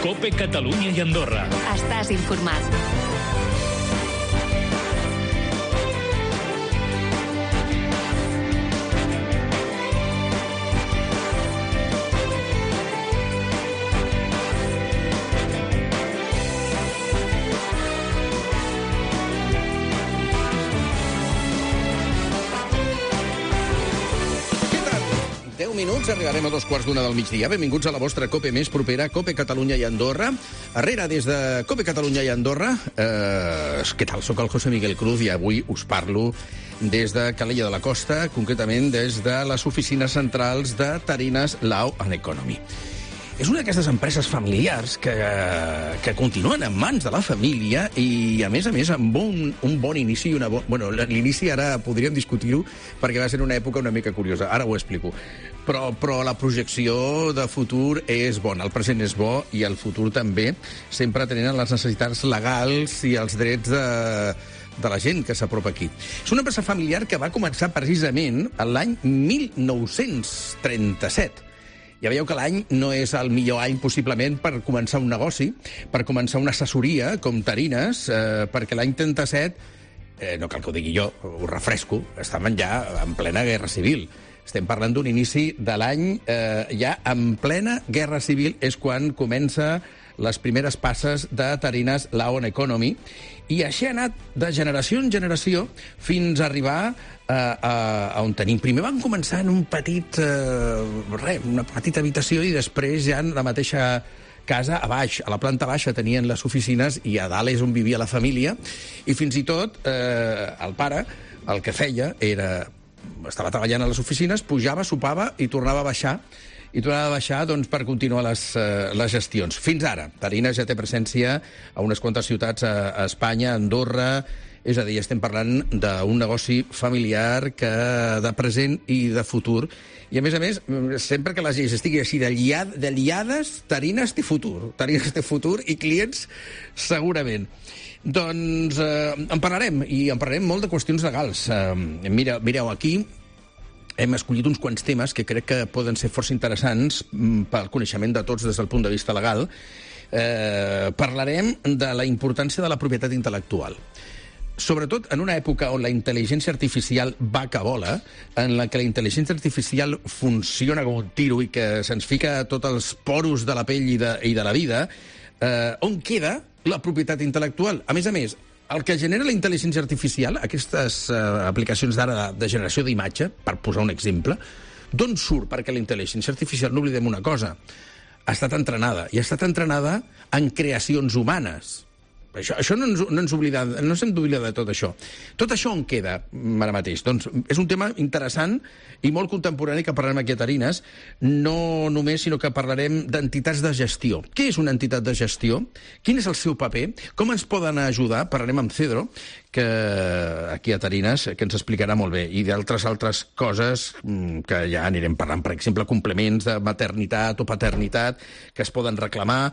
COPE Catalunya i Andorra. Estàs informat. Minuts, arribarem a 2:15 del migdia. Benvinguts a la vostra COPE més propera, COPE Catalunya i Andorra. Arrere, des de COPE Catalunya i Andorra, què tal? Soc el José Miguel Cruz i avui us parlo des de Calella de la Costa, concretament des de les oficines centrals de Tarines Law and Economy. És una d'aquestes empreses familiars que continuen en mans de la família i, a més, amb un bon inici i una bona... Bueno, l'inici ara podríem discutir-ho perquè va ser una època una mica curiosa. Ara ho explico. Però la projecció de futur és bona. El present és bo i el futur també, sempre tenint les necessitats legals i els drets de la gent que s'apropa aquí. És una empresa familiar que va començar precisament l'any 1937. Ja veieu que l'any no és el millor any possiblement per començar un negoci, per començar una assessoria com Tarines, perquè l'any 37, no cal que ho digui jo, ho refresco, estàvem ja en plena guerra civil. Estem parlant d'un inici de l'any ja en plena guerra civil, és quan comença les primeres passes de Tarines Law and Economy, i així ha anat de generació en generació fins a arribar a on tenim. Primer van començar en un petit, una petita habitació, i després ja en la mateixa casa, a baix, a la planta baixa tenien les oficines i a dalt és on vivia la família, i fins i tot el pare el que feia era, estava treballant a les oficines, pujava, sopava i tornava a baixar, doncs, per continuar les gestions. Fins ara, Tarines ja té presència a unes quantes ciutats a Espanya, a Andorra, és a dir, estem parlant d'un negoci familiar de present i de futur. I, a més, sempre que les lleis estiguin així de liades, Tarines té futur. Tarines té futur i clients segurament. Doncs en parlarem, i en parlarem molt de qüestions legals. Mireu, aquí hem escollit uns quants temes que crec que poden ser força interessants pel coneixement de tots des del punt de vista legal. Parlarem de la importància de la propietat intel·lectual. Sobretot en una època on la intel·ligència artificial va que vola, en la que la intel·ligència artificial funciona com un tiro i que se'ns fica a tots els poros de la pell i de la vida, on queda la propietat intel·lectual? A més, el que genera la intel·ligència artificial, aquestes aplicacions d'ara de generació d'imatge, per posar un exemple, d'on surt? Perquè la intel·ligència artificial, no oblidem una cosa, ha estat entrenada, i ha estat entrenada en creacions humanes. Això no ens hem d'oblidar de tot això. Tot això on queda ara mateix? Doncs és un tema interessant i molt contemporani que parlarem aquí a Tarines, no només, sinó que parlarem d'entitats de gestió. Què és una entitat de gestió? Quin és el seu paper? Com ens poden ajudar? Parlarem amb Cedro, que aquí a Tarines, que ens explicarà molt bé, i d'altres coses que ja anirem parlant, per exemple, complements de maternitat o paternitat que es poden reclamar,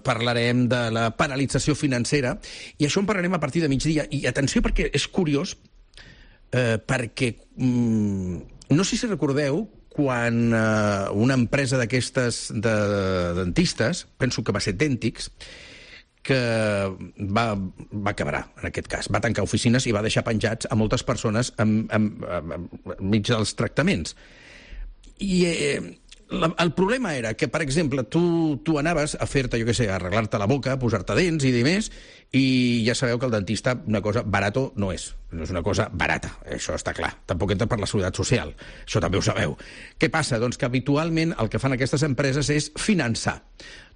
parlarem de la paralització financera, i això en parlarem a partir de migdia. I atenció, perquè és curiós, perquè no sé si recordeu quan una empresa d'aquestes de dentistes, penso que va ser Dentix, que va quebrar, en aquest cas. Va tancar oficines i va deixar penjats a moltes persones enmig dels tractaments. I el problema era que, per exemple, tu anaves a fer-te, jo què sé, a arreglar-te la boca, a posar-te dents i demés, i ja sabeu que el dentista una cosa barato no és una cosa barata, això està clar. Tampoc entra per la seguretat social, això també ho sabeu. Què passa? Doncs que habitualment el que fan aquestes empreses és finançar.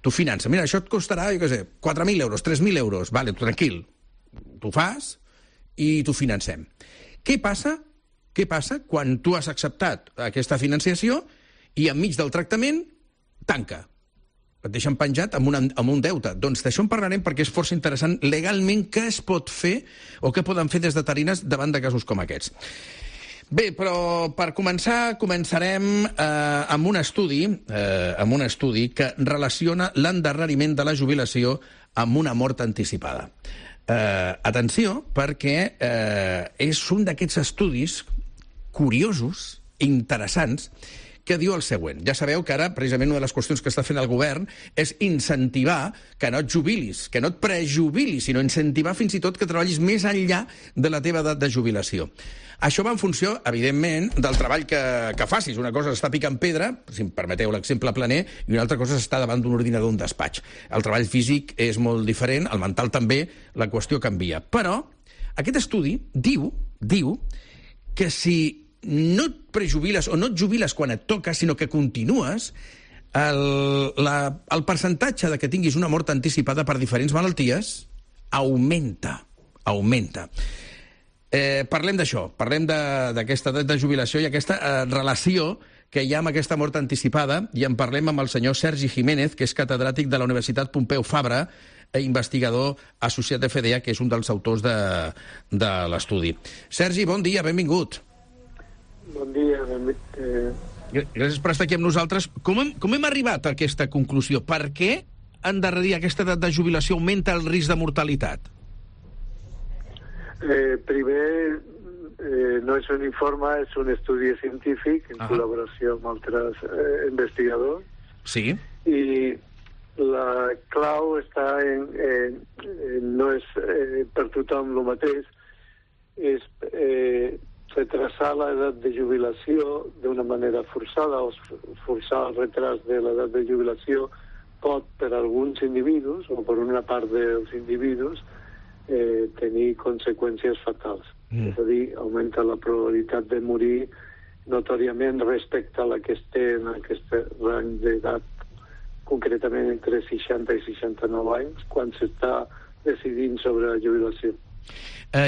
Tu finança. Mira, això et costarà, jo què sé, 4.000 euros, 3.000 euros. Vale, tu tranquil. Tu fas i t'ho financem. Què passa quan tu has acceptat aquesta financiació i enmig del tractament tanca? Et deixen penjat amb un deute. Doncs d'això en parlarem perquè és força interessant legalment què es pot fer o què poden fer des de Tarines davant de casos com aquests. Bé, però per començarem amb un estudi que relaciona l'endarreriment de la jubilació amb una mort anticipada. Atenció, perquè és un d'aquests estudis curiosos, interessants, que diu el següent. Ja sabeu que ara, precisament, una de les qüestions que està fent el govern és incentivar que no et jubilis, que no et prejubilis, sinó incentivar fins i tot que treballis més enllà de la teva edat de jubilació. Això va en funció, evidentment, del treball que facis. Una cosa és estar picant pedra, si em permeteu l'exemple planer, i una altra cosa és estar davant d'un ordinador d'un despatx. El treball físic és molt diferent, el mental també, la qüestió canvia. Però aquest estudi diu que si no et prejubiles o no et jubiles quan et toca, sinó que continues, el percentatge de que tinguis una mort anticipada per diferents malalties augmenta. Parlem d'això, parlem d'aquesta edat de jubilació i aquesta relació que hi ha amb aquesta mort anticipada, i en parlem amb el senyor Sergi Jiménez, que és catedràtic de la Universitat Pompeu Fabra, investigador associat de FDA, que és un dels autors de l'estudi. Sergi, bon dia, benvingut. Bon dia. Gràcies per estar aquí amb nosaltres. Com hem arribat a aquesta conclusió? Per què endarrerir aquesta edat de jubilació augmenta el risc de mortalitat? Primer, no és un informe, és un estudi científic en col·laboració amb altres investigadors. Sí. I la clau està no és per tothom el mateix, és retrasar l'edat de jubilació d'una manera forçada, o forçar el retras de l'edat de jubilació pot, per alguns individus, o per una part dels individus, tenir conseqüències fatals. És a dir, augmenta la probabilitat de morir notòriament respecte a la que es té en aquest rang d'edat, concretament entre 60 i 69 anys, quan s'està decidint sobre la jubilació.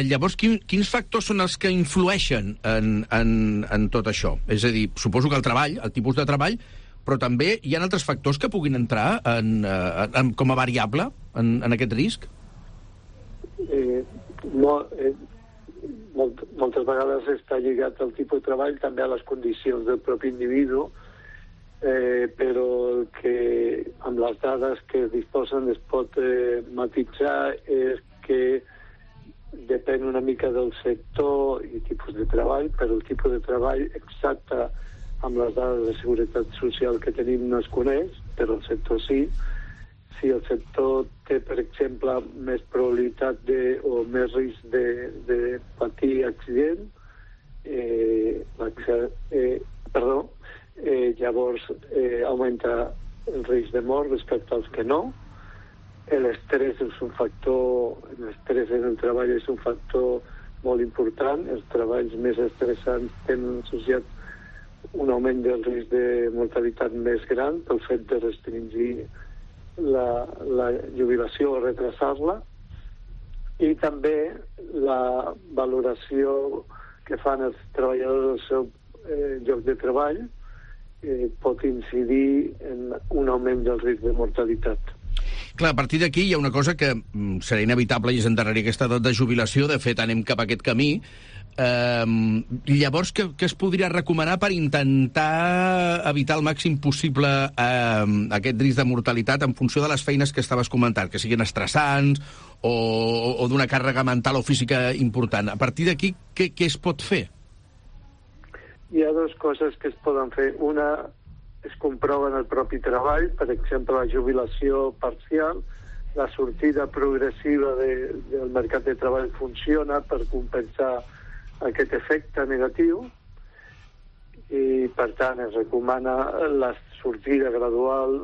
Llavors, quins factors són els que influeixen en tot això? És a dir, suposo que el treball, el tipus de treball, però també hi ha altres factors que puguin entrar com a variable en aquest risc? Moltes vegades està lligat al tipus de treball, també a les condicions del propi individu, però el que amb les dades que es disposen es pot matitzar és que depèn una mica del sector i tipus de treball, però el tipus de treball exacte amb les dades de seguretat social que tenim no es coneix, però el sector sí. Si el sector té, per exemple, més probabilitat o més risc de patir accident, llavors augmenta el risc de mort respecte als que no. L'estrès és un factor, l'estrès en el treball és un factor molt important. Els treballs més estressants tenen associat un augment del risc de mortalitat més gran pel fet de restringir la jubilació o retrasar-la, i també la valoració que fan els treballadors del seu lloc de treball pot incidir en un augment del risc de mortalitat. Clar, a partir d'aquí hi ha una cosa que serà inevitable i és endarrerir aquesta edat de jubilació. De fet, anem cap a aquest camí. Llavors, què es podria recomanar per intentar evitar el màxim possible aquest risc de mortalitat en funció de les feines que estaves comentant, que siguin estressants o d'una càrrega mental o física important? A partir d'aquí, què es pot fer? Hi ha dues coses que es poden fer. Una es comprova en el propi treball, per exemple, la jubilació parcial. La sortida progressiva del mercat de treball funciona per compensar aquest efecte negatiu, i per tant es recomana la sortida gradual,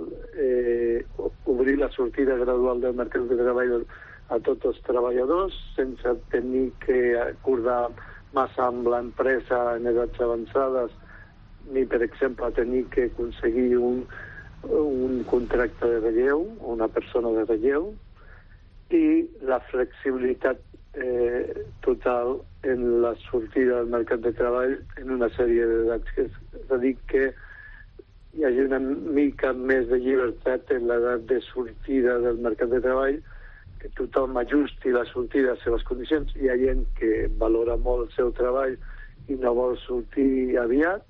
obrir la sortida gradual del mercat de treball a tots els treballadors sense tenir que acordar massa amb l'empresa en edats avançades, ni per exemple tenir que aconseguir un contracte de relleu, una persona de relleu, i la flexibilitat total en la sortida del mercat de treball en una sèrie d'edats. És a dir, que hi hagi una mica més de llibertat en l'edat de sortida del mercat de treball, que tothom ajusti la sortida a les seves condicions. Hi ha gent que valora molt el seu treball i no vol sortir aviat,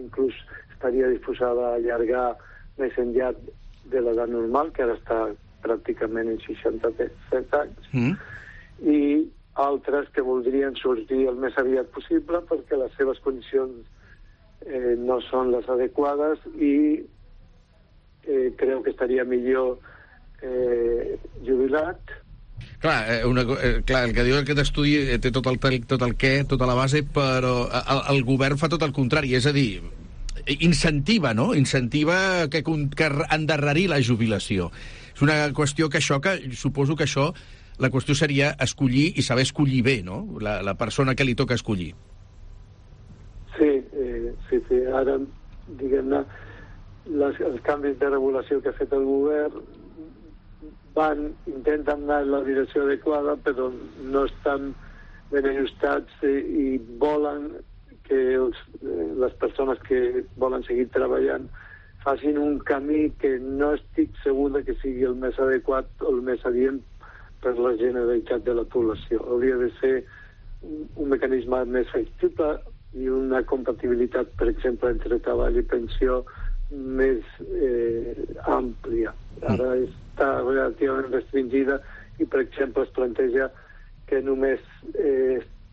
inclús estaria disposada a allargar més enllà de l'edat normal, que ara està pràcticament en 67 anys, i altres que voldrien sortir el més aviat possible perquè les seves condicions no són les adequades i crec que estaria millor jubilat. Clar, el que diu aquest estudi té tot el què, tota la base, però el govern fa tot el contrari, és a dir, incentiva, no? Incentiva que endarrerir la jubilació. És una qüestió que xoca, suposo que això, la qüestió seria escollir i saber escollir bé, no? La persona que li toca escollir. Sí. Ara, diguem-ne, els canvis de regulació que ha fet el govern intenten anar en la direcció adequada, però no estan ben ajustats i volen que les persones que volen seguir treballant facin un camí que no estic segur que sigui el més adequat o el més adient per la generalitat de la població. Hauria de ser un mecanisme més flexible i una compatibilitat, per exemple, entre treball i pensió més àmplia. Ara està relativament restringida i, per exemple, es planteja que només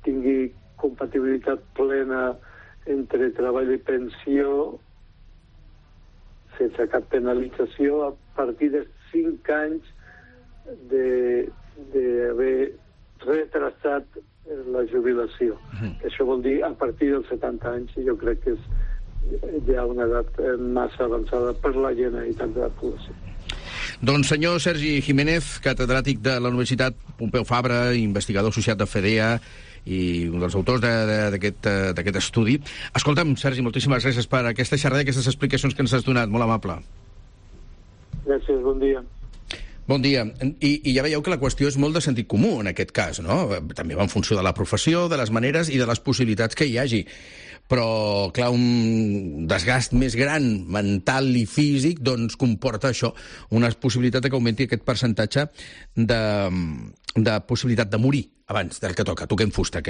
tingui compatibilitat plena entre treball i pensió sense cap penalització a partir de 5 anys d'haver retrasat la jubilació. Això vol dir a partir dels 70 anys, i jo crec que és ja una edat massa avançada per la generalitat de la població. Doncs senyor Sergi Jiménez, catedràtic de la Universitat Pompeu Fabra, investigador associat de FEDEA i un dels autors d'aquest estudi. Escolta'm, Sergi, moltíssimes gràcies per aquesta xerrada i aquestes explicacions que ens has donat. Molt amable. Gràcies, bon dia. Bon dia. I ja veieu que la qüestió és molt de sentit comú en aquest cas, no? També va en funció de la professió, de les maneres i de les possibilitats que hi hagi. Però, clar, un desgast més gran mental i físic doncs comporta això, una possibilitat que augmenti aquest percentatge de possibilitat de morir abans del que toca. Toquem fusta.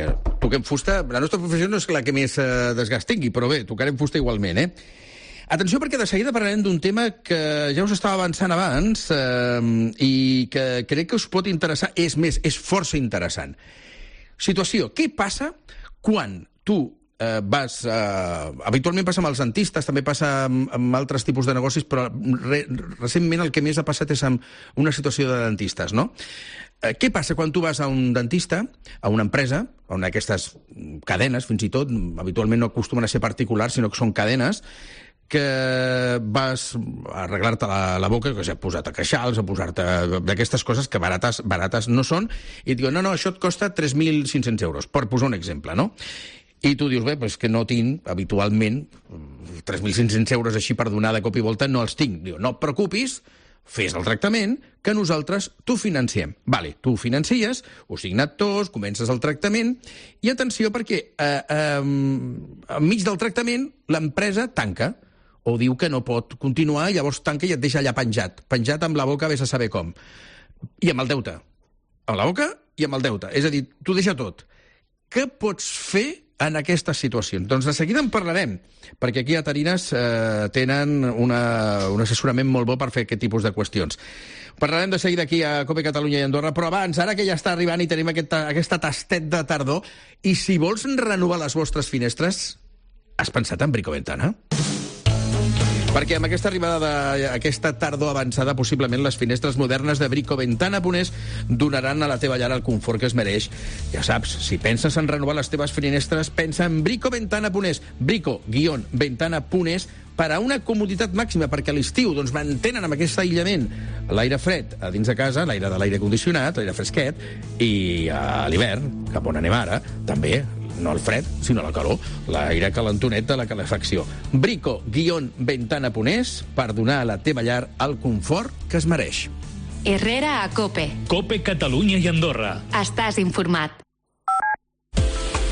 Toquem fusta, la nostra professió no és la que més desgast tingui, però bé, tocarem fusta igualment, Atenció, perquè de seguida parlarem d'un tema que ja us estava avançant abans i que crec que us pot interessar. És més, és força interessant. Situació, què passa quan tu vas... habitualment passa amb els dentistes, també passa amb altres tipus de negocis, però recentment el que més ha passat és amb una situació de dentistes, no? Què passa quan tu vas a un dentista, a una empresa, a una d'aquestes cadenes, fins i tot, habitualment no acostumen a ser particulars, sinó que són cadenes, que vas a arreglar-te la boca, que s'ha posat a queixals, a posar-te d'aquestes coses que barates no són, i et diuen, no, això et costa 3.500 euros, per posar un exemple, no? I tu dius, bé, doncs que no tinc, habitualment, 3.500 euros així per donar de cop i volta, no els tinc. Diu, no et preocupis, fes el tractament, que nosaltres t'ho financiem. Vale, tu ho financies, ho signat tots, comences el tractament, i atenció perquè enmig del tractament l'empresa tanca, o diu que no pot continuar, i llavors tanca i et deixa allà penjat amb la boca, vés a saber com. I amb el deute. Amb la boca i amb el deute. És a dir, t'ho deixa tot. Què pots fer en aquestes situacions? Doncs de seguida en parlarem, perquè aquí a Tarines tenen un assessorament molt bo per fer aquest tipus de qüestions. Parlarem de seguida aquí a COPE Catalunya i Andorra, però abans, ara que ja està arribant i tenim aquesta tastet de tardor, i si vols renovar les vostres finestres, has pensat en Bricoventana? Perquè amb aquesta arribada d'aquesta tardor avançada, possiblement les finestres modernes de Bricoventana Ponés donaran a la teva llar el confort que es mereix. Ja saps, si penses en renovar les teves finestres, pensa en Bricoventana Ponés. Brico-Ventana Ponés, per a una comoditat màxima, perquè a l'estiu doncs, mantenen amb aquest aïllament l'aire fred a dins de casa, l'aire de l'aire condicionat, l'aire fresquet, i a l'hivern, cap on anem ara, també no el fred, sinó la calor, l'aire calentonet de la calefacció. Brico-Ventana Ponés, per donar a la teva llar el confort que es mereix. Herrera a COPE. COPE Catalunya i Andorra. Estàs informat.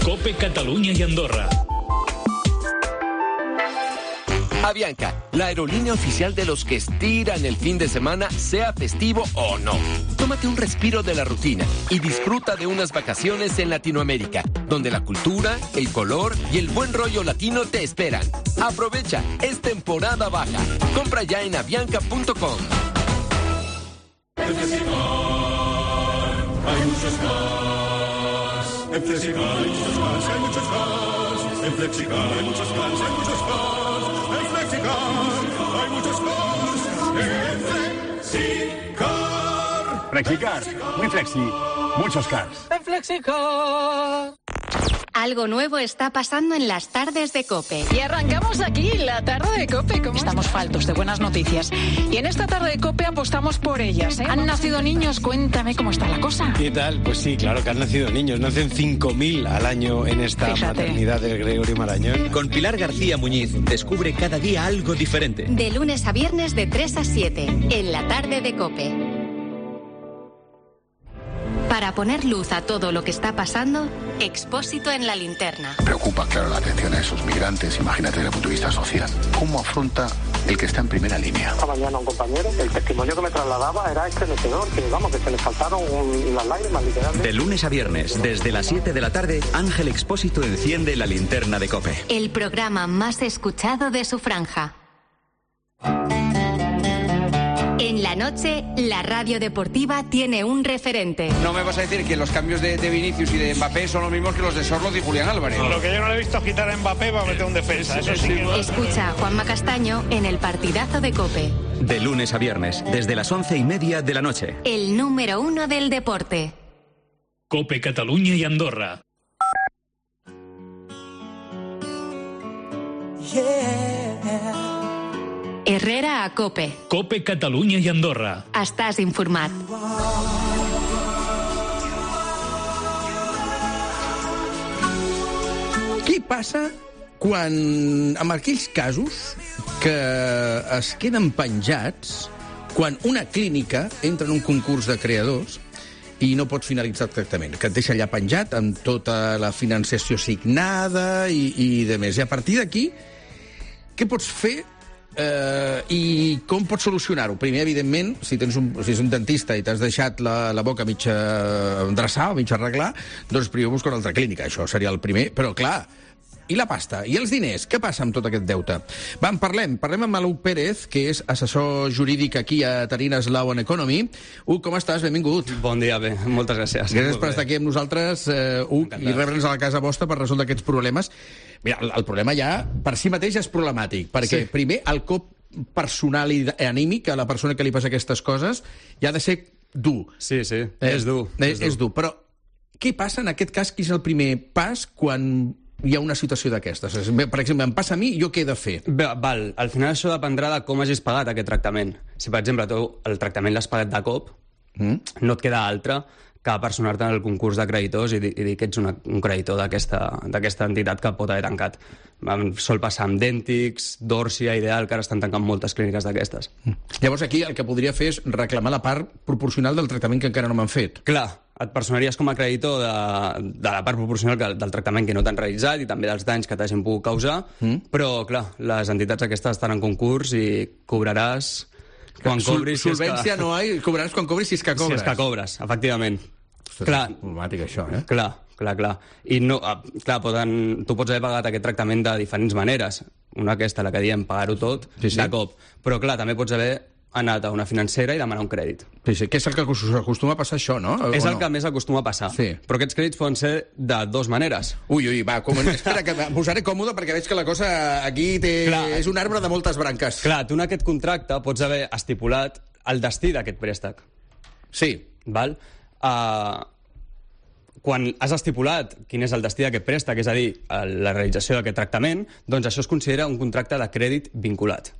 COPE Catalunya i Andorra. Avianca, la aerolínea oficial de los que estiran el fin de semana, sea festivo o no. Tómate un respiro de la rutina y disfruta de unas vacaciones en Latinoamérica, donde la cultura, el color y el buen rollo latino te esperan. Aprovecha, es temporada baja. Compra ya en avianca.com. En Festival hay muchos más. En Festival hay muchos más. En FlexiCar hay muchos cars, hay muchos cars. En FlexiCar hay muchos cars. En FlexiCar. FlexiCar, muy flexi, muchos cars. En FlexiCar. Algo nuevo está pasando en las tardes de COPE. Y arrancamos aquí, la tarde de COPE. ¿Cómo estamos faltos de buenas noticias? Y en esta tarde de COPE apostamos por ellas, ¿eh? ¿Han nacido niños? Cuéntame cómo está la cosa. ¿Qué tal? Pues sí, claro que han nacido niños. Nacen 5.000 al año en esta maternidad del Gregorio Marañón. Con Pilar García Muñiz descubre cada día algo diferente. De lunes a viernes de 3 a 7, en la tarde de COPE. Para poner luz a todo lo que está pasando, Expósito en la linterna. Preocupa, claro, la atención a esos migrantes, imagínate desde el punto de vista social. ¿Cómo afronta el que está en primera línea? Esta mañana un compañero, el testimonio que me trasladaba era estremecedor, que se le saltaron las lágrimas, literalmente. De lunes a viernes, desde las 7 de la tarde, Ángel Expósito enciende la linterna de COPE. El programa más escuchado de su franja. En la noche, la radio deportiva tiene un referente. No me vas a decir que los cambios de Vinicius y de Mbappé son los mismos que los de Sorloth y Julián Álvarez. Lo que yo no le he visto quitar a Mbappé va a meter un defensa. Eso sí. Escucha a Juanma Castaño en el partidazo de COPE. De lunes a viernes, desde las 11:30 de la noche. El número 1 del deporte. COPE Catalunya i Andorra. Herrera a COPE. COPE Catalunya i Andorra. Estàs informat. Què passa quan, en aquells casos que es queden penjats, quan una clínica entra en un concurs de creadors i no pots finalitzar el tractament, que et deixa allà penjat amb tota la financiació signada i de més. I a partir d'aquí, què pots fer i com pots solucionar-ho? Primer, evidentment, si ets un dentista i t'has deixat la boca mitja endreçar o mitja arreglar, doncs primer busca una altra clínica. Això seria el primer. Però, clar, i la pasta? I els diners? Què passa amb tot aquest deute? Va, en parlem. Parlem amb Hugo Pérez, que és assessor jurídic aquí a Tarines Law and Economy. Hugo, com estàs? Benvingut. Bon dia, bé. Moltes gràcies. Gràcies per estar aquí amb nosaltres, Hugo, i rebre'ns a la casa vostra per resoldre aquests problemes. Mira, el problema ja per si mateix és problemàtic, perquè primer el cop personal i anímic a la persona que li passa aquestes coses ja ha de ser dur. Sí, és dur. És dur, però què passa en aquest cas? Quin és el primer pas quan hi ha una situació d'aquestes? Per exemple, em passa a mi, jo què he de fer? Bé, val, al final això dependrà de com hagis pagat aquest tractament. Si, per exemple, tu el tractament l'has pagat de cop, no et queda altre que personar-te en el concurs de creditors i dir que ets un creditor d'aquesta entitat que pot haver tancat. Sol passar amb Dentix, Dorsia, Ideal, que ara estan tancant moltes clíniques d'aquestes. Llavors aquí el que podria fer és reclamar la part proporcional del tractament que encara no m'han fet. Clar, et personaries com a creditor de la part proporcional del tractament que no t'han realitzat i també dels danys que t'hagin pogut causar, però, clar, les entitats aquestes estan en concurs i cobraràs quan cobris... Solvència no hi ha, cobraràs quan cobris si és que cobres. Si és que cobres, efectivament. Clar, és problemàtic això, eh? Clar. I no, clar, tu pots haver pagat aquest tractament de diferents maneres. Una aquesta, la que diem, pagar-ho tot de cop. Però, clar, també pots haver anat a una financera i demanar un crèdit. Sí, que és el que acostuma a passar això, no? És el que més acostuma a passar. Sí. Però aquests crèdits poden ser de dues maneres. Ui, va, espera, que em posaré còmode perquè veig que la cosa aquí és un arbre de moltes branques. Clar, tu en aquest contracte pots haver estipulat el destí d'aquest préstec. Sí. Val? Quan has estipulat quin és el destí d'aquest préstec, és a dir, la realització d'aquest tractament, doncs això es considera un contracte de crèdit vinculat.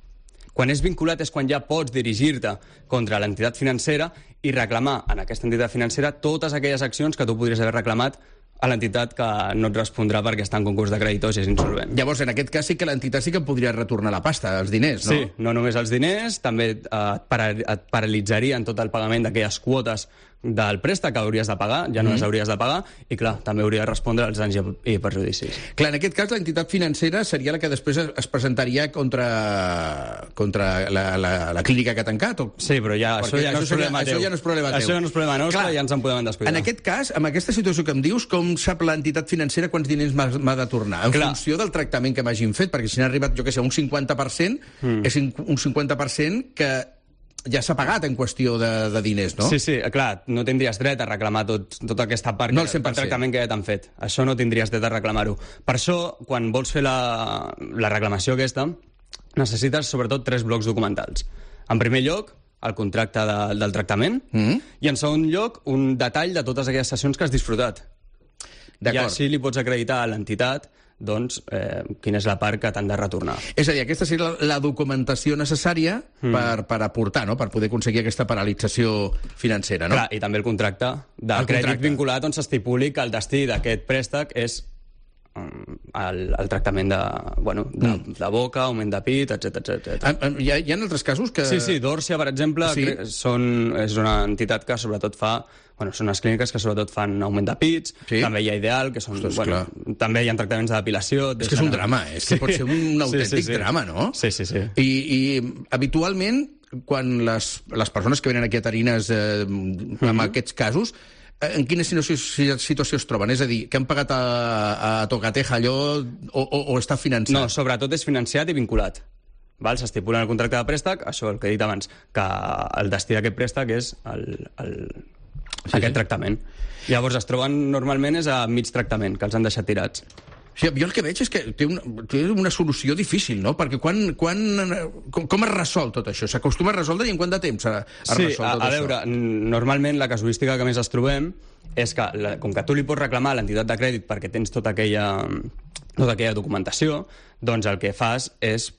Quan és vinculat és quan ja pots dirigir-te contra l'entitat financera i reclamar en aquesta entitat financera totes aquelles accions que tu podries haver reclamat a l'entitat que no et respondrà perquè està en concurs de creditors i és insolvent. Llavors, en aquest cas sí que l'entitat sí que podria retornar la pasta, els diners, no? Sí, no només els diners, també et paralitzarien tot el pagament d'aquelles quotes del préstec que hauries de pagar, ja no les hauries de pagar, i clar, també hauria de respondre als danys i perjudicis. Clar, en aquest cas l'entitat financera seria la que després es presentaria contra la clínica que ha tancat? Sí, però això ja no és problema teu. Això ja no és problema teu. Això ja no és problema nostre, ja ens en podem descuidar. En aquest cas, amb aquesta situació que em dius, com sap l'entitat financera quants diners m'ha de tornar? En funció del tractament que m'hagin fet, perquè si n'ha arribat, jo què sé, un 50%, és un 50% que ja s'ha pagat en qüestió de diners, no? Sí, clar, no tindries dret a reclamar tota aquesta part no del tractament que ja t'han fet. Això no tindries dret a reclamar-ho. Per això, quan vols fer la reclamació aquesta, necessites sobretot 3 blocs documentals. En primer lloc, el contracte del tractament, i en segon lloc, un detall de totes aquelles sessions que has disfrutat. I així li pots acreditar a l'entitat doncs, quina és la part que t'han de retornar. És a dir, aquesta seria la documentació necessària per aportar, no? Per poder aconseguir aquesta paralització financera, no? Clar, i també el contracte de crèdit vinculat on s'estipuli que el destí d'aquest préstec és el tractament de boca, augment de pit, etc. Hi ha altres casos que... Sí, Dòrcia, per exemple, és una entitat que sobretot fa... són unes clíniques que sobretot fan augment de pits, també hi ha Ideal, que són... també hi ha tractaments de depilació... És que és un drama, és que pot ser un autèntic drama, no? Sí. I habitualment, quan les persones que venen aquí a Tarines amb aquests casos, en quina situació es troben? És a dir, que han pagat a tocateja allò o està finançat? No, sobretot és financiat i vinculat. S'estipula en el contracte de préstec, això el que he dit abans, que el destí d'aquest préstec és aquest tractament. Llavors es troben normalment és a mig tractament, que els han deixat tirats. Sí, jo el que veig és que té una solució difícil, no? Perquè com es resol tot això? S'acostuma a resoldre i en quant de temps es resol tot això? A veure, normalment la casuística que més es trobem és que, com que tu li pots reclamar a l'entitat de crèdit perquè tens tota aquella documentació, doncs el que fas és,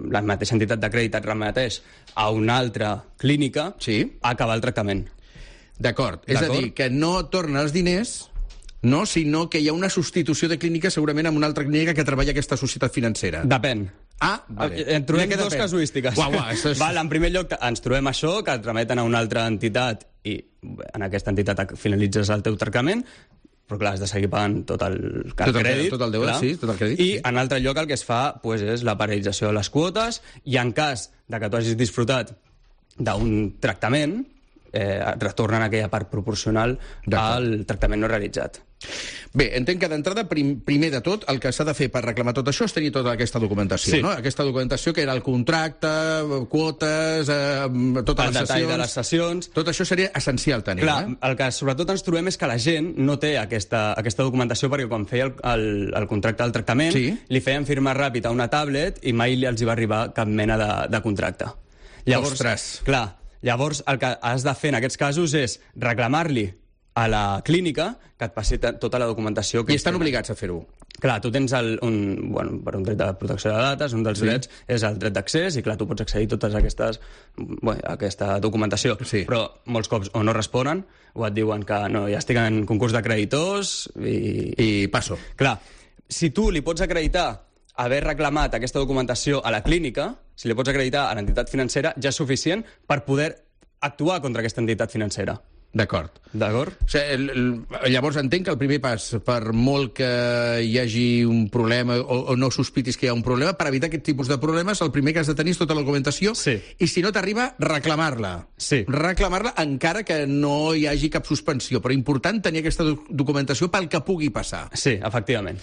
la mateixa entitat de crèdit et remeteix a una altra clínica a acabar el tractament. D'acord. És a dir, que no torna els diners, no, sinó que hi ha una substitució de clínica segurament amb una altra clínica que treballa aquesta societat financera. Depèn. Vale. En trobem dues casuístiques. En primer lloc, ens trobem això, que et remeten a una altra entitat i en aquesta entitat finalitzes el teu tractament, però clar, has de seguir pagant tot el crèdit. Tot el crèdit. I en altre lloc el que es fa és la paralització de les quotes i en cas de que tu hagis disfrutat d'un tractament, et retornen aquella part proporcional al tractament no realitzat. Bé, entenc que d'entrada, primer de tot, el que s'ha de fer per reclamar tot això és tenir tota aquesta documentació, no? Aquesta documentació que era el contracte, quotes, totes les sessions... El detall de les sessions... Tot això seria essencial tenir, Clar, el que sobretot ens trobem és que la gent no té aquesta documentació perquè quan feia el contracte del tractament li feien firmar ràpid a una tablet i mai els hi va arribar cap mena de contracte. Ostres! Clar, llavors el que has de fer en aquests casos és reclamar-li a la clínica que et passi tota la documentació. I estan obligats a fer-ho. Clar, tu tens per un dret de protecció de dades, un dels drets és el dret d'accés, i clar, tu pots accedir a totes aquesta documentació. Però molts cops o no responen, o et diuen que no, ja estic en concurs de creditors i passo. Clar, si tu li pots acreditar haver reclamat aquesta documentació a la clínica, si li pots acreditar a l'entitat financera, ja és suficient per poder actuar contra aquesta entitat financera. D'acord. D'acord? O sigui, llavors entenc que el primer pas, per molt que hi hagi un problema o no sospitis que hi ha un problema, per evitar aquest tipus de problemes, el primer que has de tenir és tota la documentació i si no t'arriba, reclamar-la. Reclamar-la encara que no hi hagi cap suspensió, però important tenir aquesta documentació pel que pugui passar. Sí, efectivament.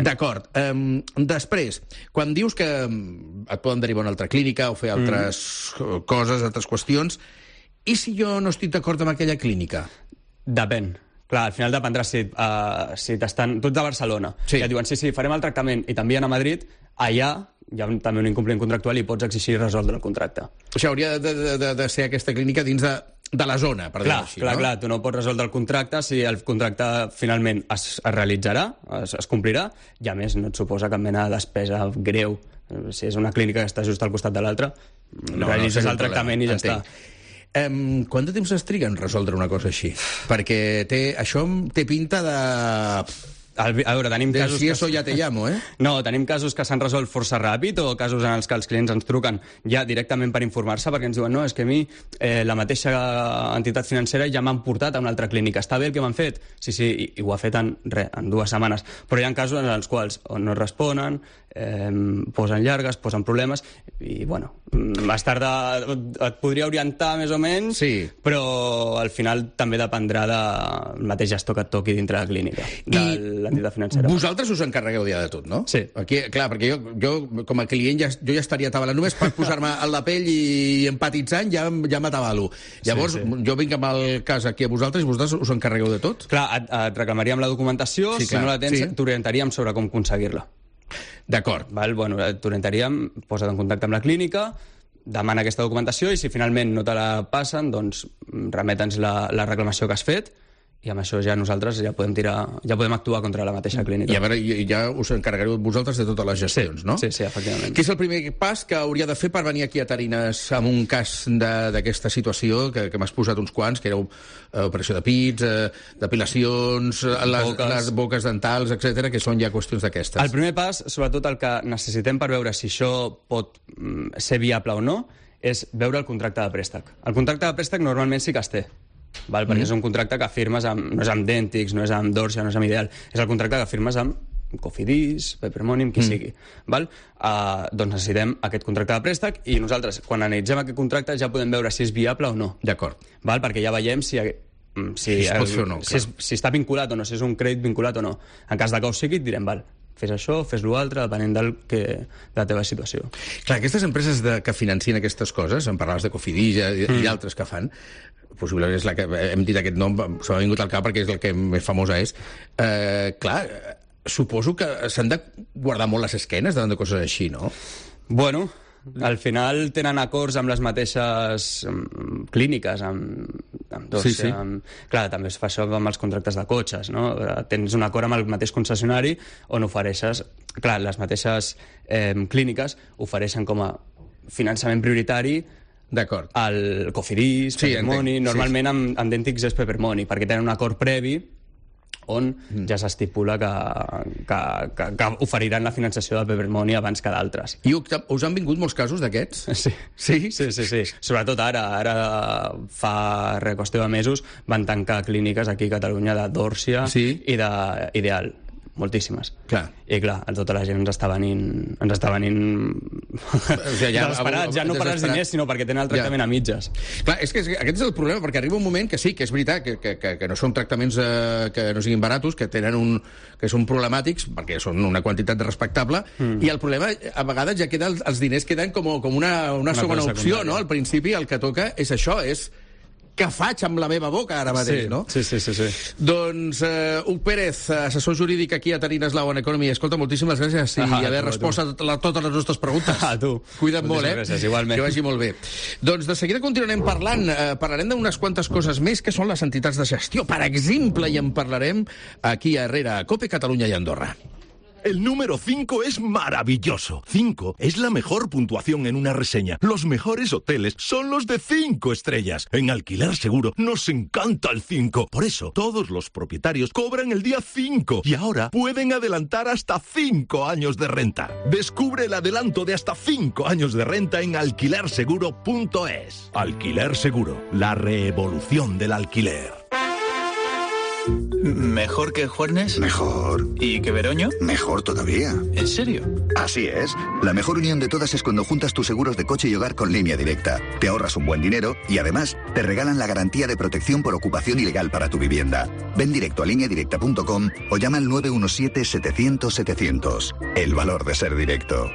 D'acord. Després, quan dius que et poden derivar a una altra clínica o fer altres coses, altres qüestions, i si jo no estic d'acord amb aquella clínica? Depèn. Clar, al final dependrà si t'estan... Tu ets de Barcelona. I et diuen, sí, farem el tractament i t'envien a Madrid, allà hi ha també un incompliment contractual i pots exigir resoldre el contracte. O sigui, hauria de ser aquesta clínica dins de la zona, per dir-ho així, no? Clar, tu no pots resoldre el contracte si el contracte finalment es realitzarà, es complirà, i a més no et suposa cap mena de despesa greu. Si és una clínica que està just al costat de l'altra, realitzes el tractament i ja està. Quant de temps es triga en resoldre una cosa així? Perquè això té pinta de... A veure, tenim casos... Si eso ya te llamo, eh? No, tenim casos que s'han resolt força ràpid o casos en els que els clients ens truquen ja directament per informar-se perquè ens diuen no, és que a mi la mateixa entitat financera ja m'han portat a una altra clínica. Està bé el que m'han fet? Sí, i ho ha fet en 2 setmanes. Però hi ha casos en els quals o no responen, posen llargues, posen problemes, i, bueno, més tard et podria orientar més o menys, sí, però al final també dependrà del mateix gestor que et toqui dintre la clínica, de l'entitat financera. Vosaltres us encarregueu ja de tot, no? Sí. Aquí, clar, perquè jo com a client jo ja estaria atabalant. Només per posar-me en la pell i empatitzant ja m'atabalo. Llavors, jo vinc amb el cas aquí a vosaltres i vosaltres us encarregueu de tot? Clar, et reclamaríem la documentació, si no la tens, t'orientaríem sobre com aconseguir-la. D'acord. Bueno, t'orientaríem, posa't en contacte amb la clínica, demana aquesta documentació i si finalment no te la passen, doncs remeta'ns la reclamació que has fet i amb això ja nosaltres ja podem actuar contra la mateixa clínica. I a veure, ja us encarregareu vosaltres de totes les gestions, no? Sí, efectivament. Què és el primer pas que hauria de fer per venir aquí a Tarines amb un cas d'aquesta situació, que m'has posat uns quants, que era operació de pits, depilacions, les boques dentals, etc, que són ja qüestions d'aquestes? El primer pas, sobretot el que necessitem per veure si això pot ser viable o no, és veure el contracte de préstec. El contracte de préstec normalment sí que es té, perquè és un contracte que firmes no és amb Dentix, no és amb Dorsia, no és amb Ideal, és el contracte que firmes amb Cofidis, Peppermoney, qui sigui. Doncs necessitem aquest contracte de préstec i nosaltres, quan analitzem aquest contracte, ja podem veure si és viable o no. D'acord. Perquè ja veiem si es pot fer o no. Si està vinculat o no, si és un crèdit vinculat o no. En cas de que ho sigui, et direm, fes això, fes l'altre, depenent de la teva situació. Clar, aquestes empreses que financien aquestes coses, en parlaves de Cofidis i altres que fan, possiblement és la que hem dit aquest nom, s'ha vingut al cap perquè és el que més famosa és. Clar, suposo que s'han de guardar molt les esquenes davant de coses així, no? Bueno, al final tenen acords amb les mateixes clíniques, amb Dorsia. Clar, també es fa això amb els contractes de cotxes, no? Tens un acord amb el mateix concessionari on ofereixes... Clar, les mateixes clíniques ofereixen com a finançament prioritari al Cofidis, Peppermoney, normalment amb Dentix és Peppermoney, perquè tenen un acord previ on ja s'estipula que oferiran la finançació de Peppermoney abans que d'altres. I us han vingut molts casos d'aquests? Sí. Sobretot ara fa qüestió de mesos van tancar clíniques aquí a Catalunya de Dorsia i d'Ideal. Moltíssimes. Clar. I clar, tota la gent ens està venint desesperats, ja no per als diners, sinó perquè tenen el tractament a mitges. Clar, és que aquest és el problema, perquè arriba un moment que sí, que és veritat, que no són tractaments que no siguin baratos, que són problemàtics, perquè són una quantitat respectable, i el problema, a vegades, ja queda els diners queden com una segona opció, no? Al principi el que toca és això, és què faig amb la meva boca ara mateix, no? Sí. Doncs, Huc Pérez, assessor jurídic aquí a Tarines Law and Economy. Escolta, moltíssimes gràcies i haver respost a totes les nostres preguntes. A tu. Cuida't molt, gràcies, igualment. Que vagi molt bé. Doncs de seguida continuarem parlant. Parlarem d'unes quantes coses més, que són les entitats de gestió. Per exemple, i en parlarem aquí a Herrera, a COPE, Catalunya i Andorra. El número 5 es maravilloso. 5 es la mejor puntuación en una reseña. Los mejores hoteles son los de 5 estrellas. En Alquiler Seguro nos encanta el 5. Por eso, todos los propietarios cobran el día 5. Y ahora pueden adelantar hasta 5 años de renta. Descubre el adelanto de hasta 5 años de renta en alquilerseguro.es. Alquiler Seguro, la revolución del alquiler. ¿Mejor que Juernes? Mejor. ¿Y que Veroño? Mejor todavía. ¿En serio? Así es. La mejor unión de todas es cuando juntas tus seguros de coche y hogar con Línea Directa. Te ahorras un buen dinero y además te regalan la garantía de protección por ocupación ilegal para tu vivienda. Ven directo a lineadirecta.com o llama al 917-700-700. El valor de ser directo.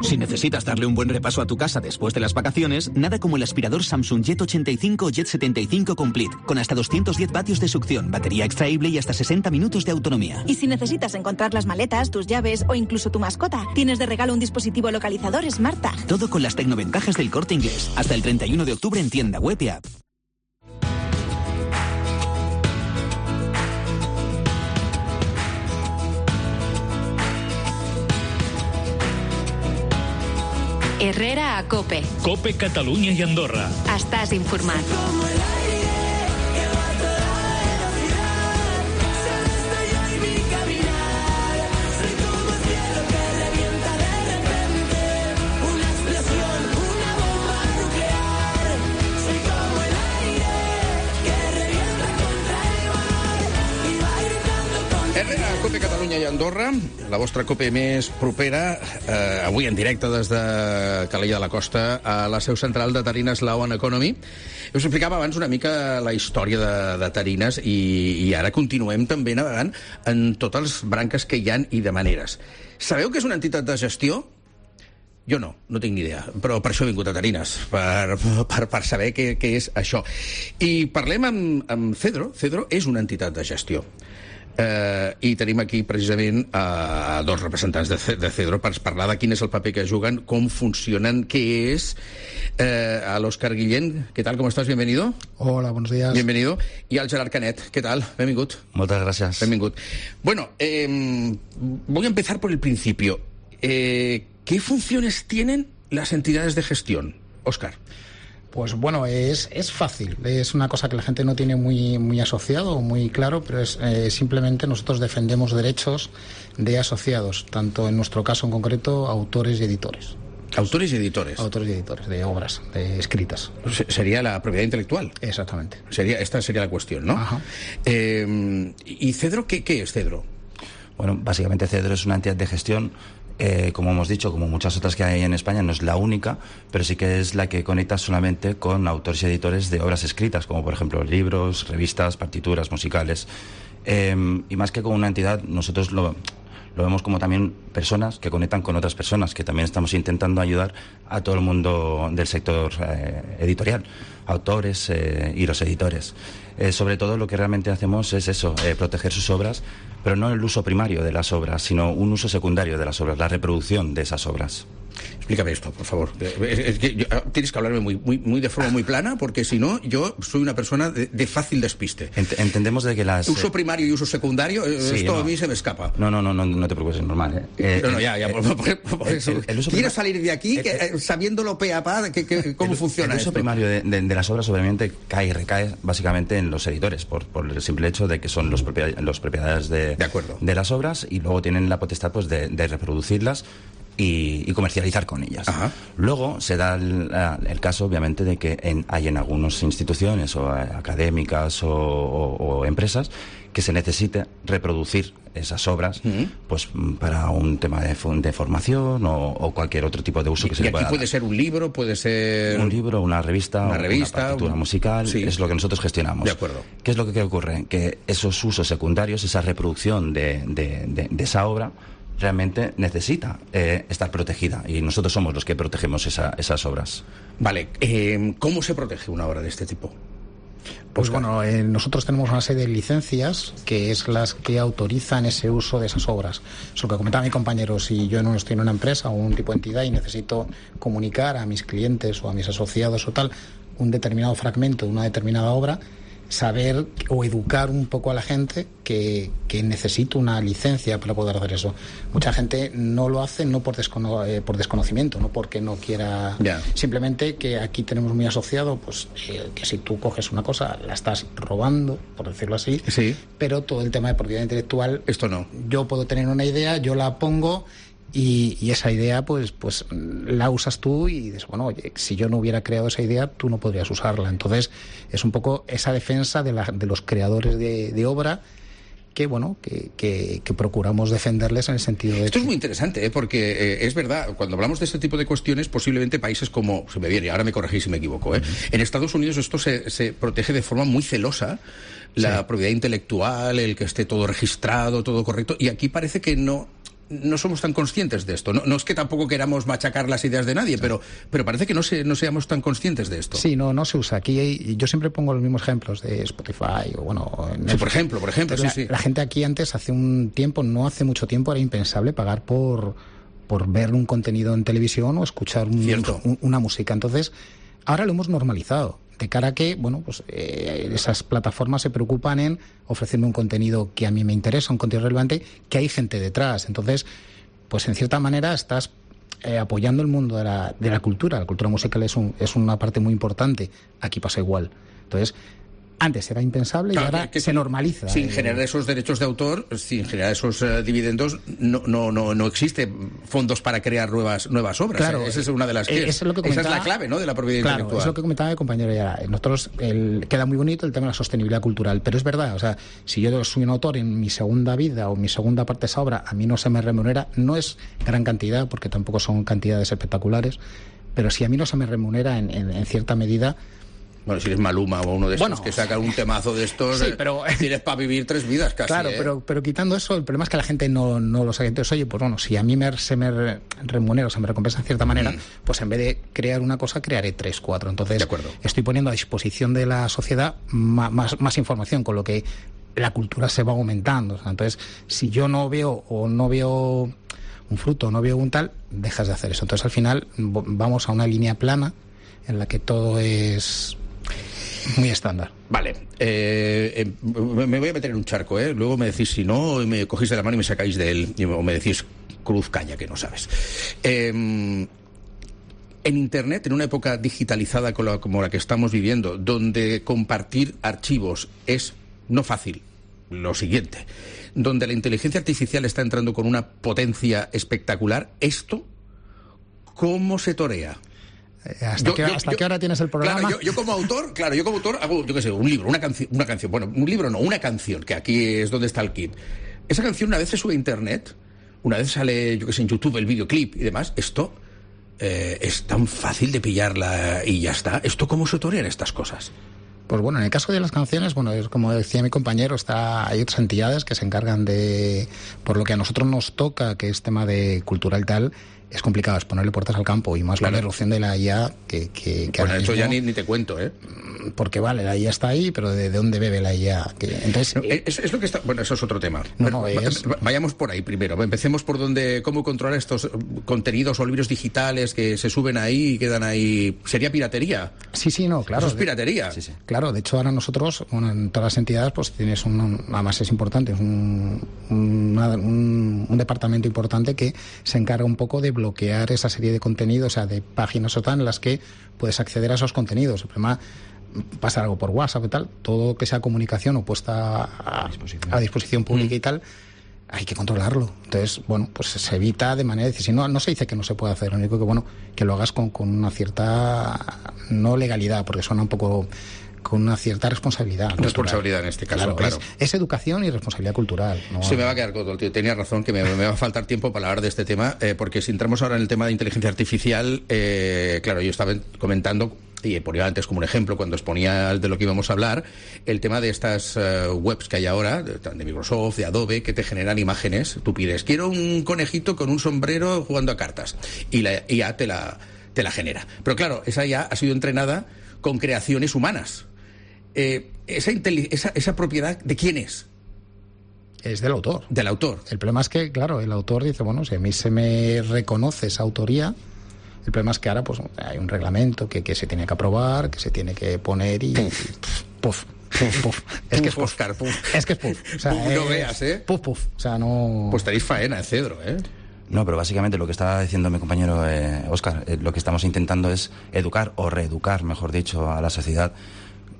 Si necesitas darle un buen repaso a tu casa después de las vacaciones, nada como el aspirador Samsung Jet 85 o Jet 75 Complete, con hasta 210 vatios de succión, batería extraíble y hasta 60 minutos de autonomía. Y si necesitas encontrar las maletas, tus llaves o incluso tu mascota, tienes de regalo un dispositivo localizador SmartTag. Todo con las tecnoventajas del Corte Inglés. Hasta el 31 de octubre en tienda web y app. Herrera a COPE. COPE Catalunya i Andorra. Estàs informat. Herrera, COPE Catalunya i i Andorra, la vostra COPE més propera, avui en directe des de Calella de la Costa, a la seu central de Tarines Law and Economy. Us explicava abans una mica la història de Tarines i ara continuem també navegant en totes les branques que hi ha i de maneres. Sabeu que és una entitat de gestió? Jo no tinc ni idea, però per això he vingut a Tarines, per saber què és això. I parlem amb Cedro. Cedro és una entitat de gestió. I tenim aquí precisament dos representants de Cedro per parlar de quin és el paper que juguen, com funcionen, què és. A l'Òscar Guillén, ¿qué tal? ¿Cómo estás? Bienvenido. Hola, buenos días. Bienvenido. Y al Gerard Canet, ¿qué tal? Benvingut. Muchas gracias. Benvingut. Bueno, voy a empezar por el principio. ¿Qué funciones tienen las entidades de gestión, Óscar? Pues bueno, es fácil. Es una cosa que la gente no tiene muy asociado o muy claro, pero es simplemente nosotros defendemos derechos de asociados, tanto en nuestro caso en concreto, autores y editores. ¿Autores y editores? Autores y editores, de obras, de escritas. Sería la propiedad intelectual. Exactamente. Esta sería la cuestión, ¿no? Ajá. ¿Y Cedro qué es Cedro? Bueno, básicamente Cedro es una entidad de gestión. Como hemos dicho, como muchas otras que hay en España, no es la única, pero sí que es la que conecta solamente con autores y editores de obras escritas, como por ejemplo libros, revistas, partituras musicales. Y más que como una entidad, nosotros lo vemos como también personas que conectan con otras personas, que también estamos intentando ayudar a todo el mundo del sector editorial, autores y los editores. Sobre todo lo que realmente hacemos es eso, proteger sus obras, pero no el uso primario de las obras, sino un uso secundario de las obras, la reproducción de esas obras. Explícame esto, por favor. Es que tienes que hablarme muy de forma muy plana, porque si no, yo soy una persona de fácil despiste. Entendemos de que las... Uso primario y uso secundario, sí, esto a mí se me escapa. No te preocupes, es normal. Por eso. Quiero salir de aquí sabiéndolo pe a pa, cómo funciona esto. El uso primario de las obras obviamente cae y recae básicamente en los editores, por el simple hecho de que son los propietarios de las obras, y luego tienen la potestad pues de reproducirlas y comercializar con ellas. Ajá. Luego se da el caso, obviamente, de que hay en algunas instituciones o académicas o empresas que se necesite reproducir esas obras pues para un tema de formación o cualquier otro tipo de uso que se le pueda dar. Puede ser un libro, puede ser... Un libro, una revista, una partitura musical, sí. Es lo que nosotros gestionamos. De acuerdo. ¿Qué es lo que ocurre? Que esos usos secundarios, esa reproducción de esa obra, realmente necesita estar protegida, y nosotros somos los que protegemos esas obras. Vale, ¿cómo se protege una obra de este tipo? Pues bueno, nosotros tenemos una serie de licencias que es las que autorizan ese uso de esas obras. Es lo que comentaba mi compañero, si yo no estoy en una empresa o un tipo de entidad y necesito comunicar a mis clientes o a mis asociados o tal un determinado fragmento de una determinada obra, saber o educar un poco a la gente que necesito una licencia para poder hacer eso. Mucha gente no lo hace no por desconocimiento, no porque no quiera, simplemente que aquí tenemos muy asociado pues que si tú coges una cosa la estás robando, por decirlo así, sí. Pero todo el tema de propiedad intelectual, esto no. Yo puedo tener una idea, yo la pongo y esa idea pues la usas tú y dices, bueno, oye, si yo no hubiera creado esa idea, tú no podrías usarla. Entonces es un poco esa defensa de los creadores de obra que procuramos defenderles en el sentido de... Esto es muy interesante, porque es verdad, cuando hablamos de este tipo de cuestiones, posiblemente países como, se me viene, ahora me corregís si me equivoco, en Estados Unidos esto se protege de forma muy celosa, la propiedad intelectual, el que esté todo registrado, todo correcto, y aquí parece que no somos tan conscientes de esto. No es que tampoco queramos machacar las ideas de nadie, pero parece que no seamos tan conscientes de esto. Sí, no se usa. Aquí yo siempre pongo los mismos ejemplos de Spotify o bueno... Sí, por ejemplo, sí. La gente aquí antes, no hace mucho tiempo, era impensable pagar por ver un contenido en televisión o escuchar una música. Entonces, ahora lo hemos normalizado. De cara a que, esas plataformas se preocupan en ofrecerme un contenido que a mí me interesa, un contenido relevante, que hay gente detrás. Entonces, pues en cierta manera estás apoyando el mundo de la cultura. La cultura musical es una parte muy importante. Aquí pasa igual. Entonces, Antes era impensable y ahora se normaliza. Sin generar esos derechos de autor, sin generar esos dividendos, no existe fondos para crear nuevas obras. Claro, esa es una de las que es lo que comentaba, esa es la clave, ¿no?, de la propiedad intelectual. Es lo que comentaba mi compañero ya. Nosotros queda muy bonito el tema de la sostenibilidad cultural, pero es verdad, o sea, si yo soy un autor en mi segunda vida o mi segunda parte de esa obra, a mí no se me remunera, no es gran cantidad, porque tampoco son cantidades espectaculares, pero si a mí no se me remunera en cierta medida. Bueno, si eres Maluma o uno de estos que sacan un temazo de estos, sí, pero tienes para vivir 3 vidas casi. Claro, pero quitando eso, el problema es que la gente no lo sabe. Entonces, oye, pues bueno, si a mí se me remunera o se me recompensa de cierta manera, pues en vez de crear una cosa, crearé 3, 4. Entonces, estoy poniendo a disposición de la sociedad más información, con lo que la cultura se va aumentando. O sea, entonces, si yo no veo un fruto, no veo un tal, dejas de hacer eso. Entonces, al final, vamos a una línea plana en la que todo es muy estándar. Vale, me voy a meter en un charco, luego me decís si no, y me cogéis de la mano y me sacáis de él, o me decís cruz caña, que no sabes. En Internet, en una época digitalizada como la que estamos viviendo, donde compartir archivos es no fácil, lo siguiente, donde la inteligencia artificial está entrando con una potencia espectacular, ¿esto cómo se torea? ¿Hasta qué hora tienes el programa? Claro, yo como autor hago, yo qué sé, un libro, una canción. Bueno, un libro no, una canción, que aquí es donde está el kit. Esa canción una vez se sube a Internet, una vez sale, yo qué sé, en YouTube el videoclip y demás. Esto es tan fácil de pillarla y ya está. ¿Esto cómo se torean estas cosas? Pues bueno, en el caso de las canciones, bueno, es como decía mi compañero, hay otras entidades que se encargan de, por lo que a nosotros nos toca, que es tema de cultura y tal, es complicado, es ponerle puertas al campo, y más con la erupción de la IA que bueno, eso ya ni te cuento, porque vale, la IA está ahí, pero ¿de dónde bebe la IA? Entonces, es lo que está. Bueno, eso es otro tema. Vayamos por ahí primero. Empecemos por cómo controlar estos contenidos o libros digitales que se suben ahí y quedan ahí. ¿Sería piratería? Sí, no, claro. Eso es piratería. Sí. Claro, de hecho ahora nosotros, bueno, en todas las entidades, pues tienes además es importante, es un departamento importante que se encarga un poco de bloquear esa serie de contenidos, o sea, de páginas o tal, en las que puedes acceder a esos contenidos. El problema, pasa algo por WhatsApp y tal, todo que sea comunicación o puesta a disposición pública y tal, hay que controlarlo. Entonces, bueno, pues se evita de manera decisiva. No se dice que no se puede hacer, lo único que lo hagas con una cierta, no legalidad, porque suena un poco, con una cierta responsabilidad. Responsabilidad en este caso, claro. Es educación y responsabilidad cultural, ¿no? Se me va a quedar corto, tío. Tenía razón que me va a faltar tiempo para hablar de este tema, porque si entramos ahora en el tema de inteligencia artificial, claro, yo estaba comentando, y ponía antes como un ejemplo, cuando exponía de lo que íbamos a hablar, el tema de estas webs que hay ahora, de Microsoft, de Adobe, que te generan imágenes. Tú pides, quiero un conejito con un sombrero jugando a cartas, y la IA te la genera. Pero claro, esa IA ha sido entrenada con creaciones humanas. Esa propiedad, ¿de quién es? Es del autor. Del autor. El problema es que, claro, el autor dice, bueno, si a mí se me reconoce esa autoría, el problema es que ahora pues hay un reglamento que se tiene que aprobar, que se tiene que poner y... Puf. Es que es puff. Oscar, puff. Es que es puff. O sea, no veas, Puff. O sea, no... Pues tenéis faena, Cedro, No, pero básicamente lo que estaba diciendo mi compañero Óscar, lo que estamos intentando es educar o reeducar, mejor dicho, a la sociedad,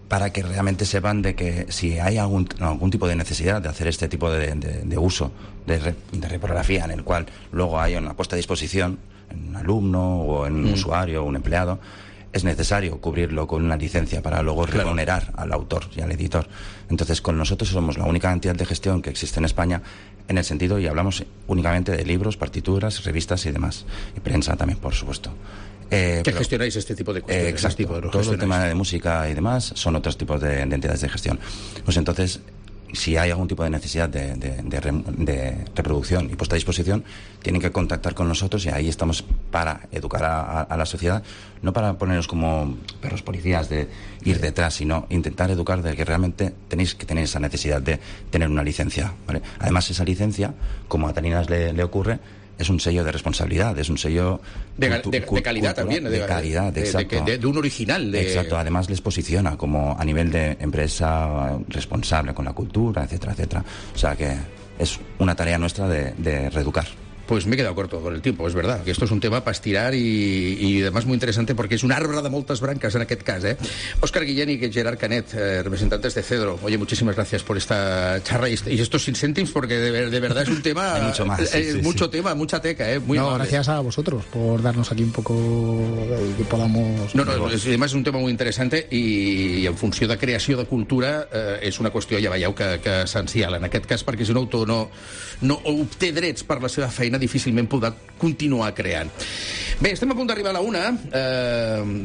para que realmente sepan de que si hay algún tipo de necesidad de hacer este tipo de uso de reprografía, en el cual luego hay una puesta a disposición en un alumno o en un usuario o un empleado, es necesario cubrirlo con una licencia para luego remunerar al autor y al editor. Entonces, con nosotros somos la única entidad de gestión que existe en España en el sentido, y hablamos únicamente de libros, partituras, revistas y demás, y prensa también, por supuesto. ¿Qué gestionáis este tipo de cuestiones? Exacto, todo el tema de música y demás son otros tipos de entidades de gestión. Pues entonces, si hay algún tipo de necesidad de reproducción y puesta a disposición, tienen que contactar con nosotros, y ahí estamos para educar a la sociedad, no para ponernos como perros policías de ir detrás, sino intentar educar de que realmente tenéis que tener esa necesidad de tener una licencia, ¿vale? Además, esa licencia, como a Taninas le ocurre, es un sello de responsabilidad, es un sello de calidad también, de calidad, exacto, de un original. Exacto, además les posiciona como a nivel de empresa responsable con la cultura, etcétera, etcétera. O sea que es una tarea nuestra de reeducar. Pues me he quedado corto con el tiempo, es verdad, que esto es un tema para estirar y además muy interesante porque es un árbol de moltes brancas en aquest cas, ¿eh? Óscar Guillén y Gerard Canet, representantes de Cedro. Oye, muchísimas gracias por esta charla y estos sin céntims porque de verdad es un tema... Hay mucho más. Mucho tema, mucha teca, ¿eh? Muy amable. Gracias a vosotros por darnos aquí un poco que podamos... No, además es un tema muy interesante i en funció de creació de cultura és una qüestió, ja veieu, que essencial en aquest cas, perquè si un autor no obté drets per la seva feina difícilment podrà continuar creant. Bé, estem a punt d'arribar a la 1.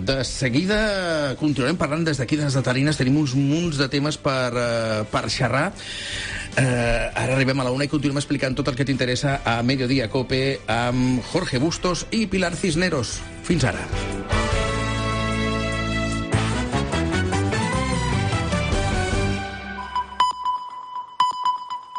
De seguida continuarem parlant des d'aquí, des de Tarines. Tenim uns munts de temes per xerrar. Ara arribem a la 1 i continuem explicant tot el que t'interessa a Mediodía Cope amb Jorge Bustos i Pilar Cisneros. Fins ara.